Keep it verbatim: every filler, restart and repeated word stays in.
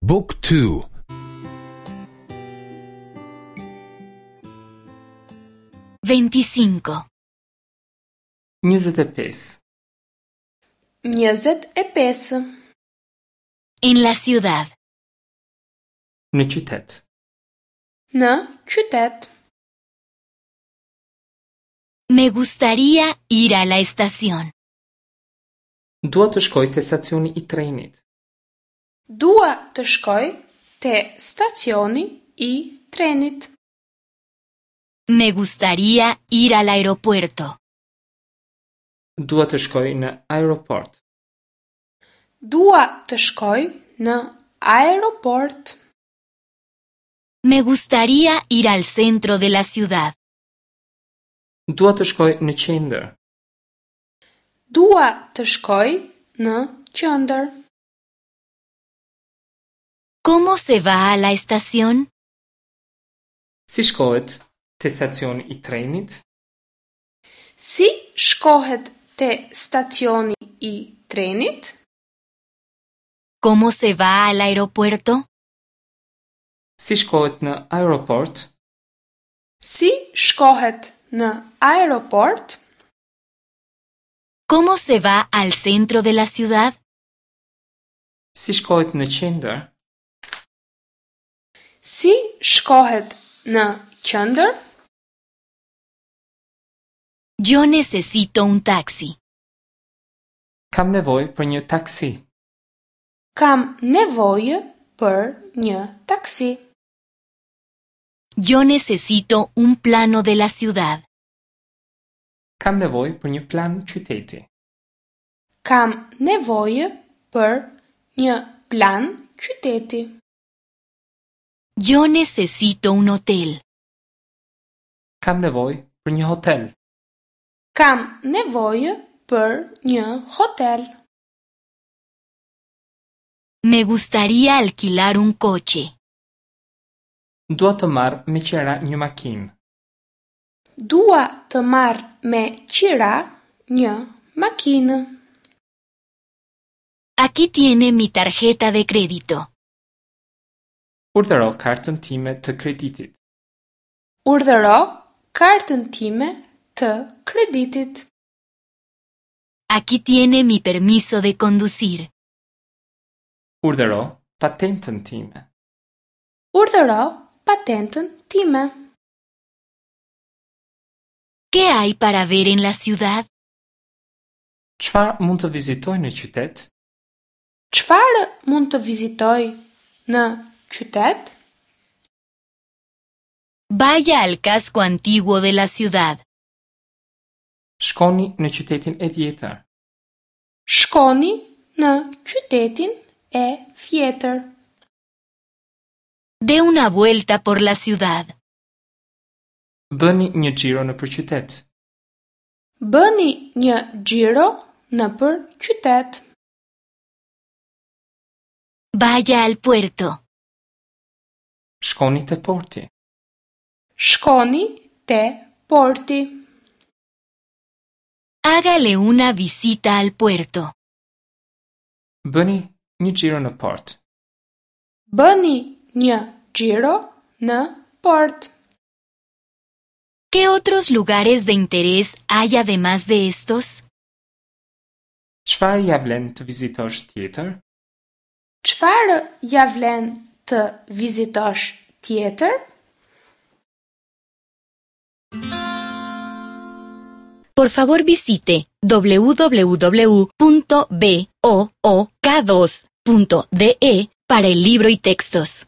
Book two. Veinticinco. Njëzet e pesë. Njëzet e pesë. En la ciudad. Në qytet. Në qytet. Me gustaría ir a la estación. Dua të shkoj te stacioni i trenit. Dua të shkoj te stacioni i trenit. Me gustaría ir al aeropuerto. Dua të shkoj në aeroport. Dua të shkoj në aeroport. Me gustaría ir al centro de la ciudad. Dua të shkoj në qendër. Dua të shkoj në qendër. ¿Cómo se va a la estación? Si shkohet te stacioni i trenit? Si shkohet te stacioni i trenit? ¿Cómo se va al aeropuerto? Si shkohet në aeroport? Si shkohet në aeroport? ¿Cómo se va al centro de la ciudad? Si shkohet në qendër? Si shkohet në qendër? Yo necesito un taxi. Kam nevojë për një taksi. Kam nevojë për një taksi. Yo necesito un plano de la ciudad. Kam nevojë për një plan qyteti. Kam nevojë për një plan qyteti. Yo necesito un hotel. Kam nevojë për një hotel. Kam nevojë për një hotel. Me gustaría alquilar un coche. Dua të marr me qira një makinë. Dua të marr me qira një makinë. Aquí tiene mi tarjeta de crédito. Urdhëro kartën time të kreditit. Urdhëro kartën time të kreditit. Aquí tiene mi permiso de conducir. Urdhëro patentën time. Urdhëro patentën time. ¿Qué hay para ver en la ciudad? Çfarë mund të vizitoj në qytet? Çfarë mund të vizitoj në qytet? Vaya al casco antiguo de la ciudad. Shkoni në qytetin e vjetër. Shkoni në qytetin e vjetër. Dé una vuelta por la ciudad. Bëni një xhiro nëpër qytet. Bëni një xhiro nëpër qytet. Vaya al puerto. Shkoni te porti. Shkoni te porti. Hágale una visita al puerto. Bëni një xhiro në port. Bëni një xhiro në port. ¿Qué otros lugares de interés hay además de estos? Çfarë ja vlen të vizitosh tjetër? Çfarë ja vlen të vizitosh tjetër? Por favor visite w w w punto b o o k dos punto d e para el libro y textos.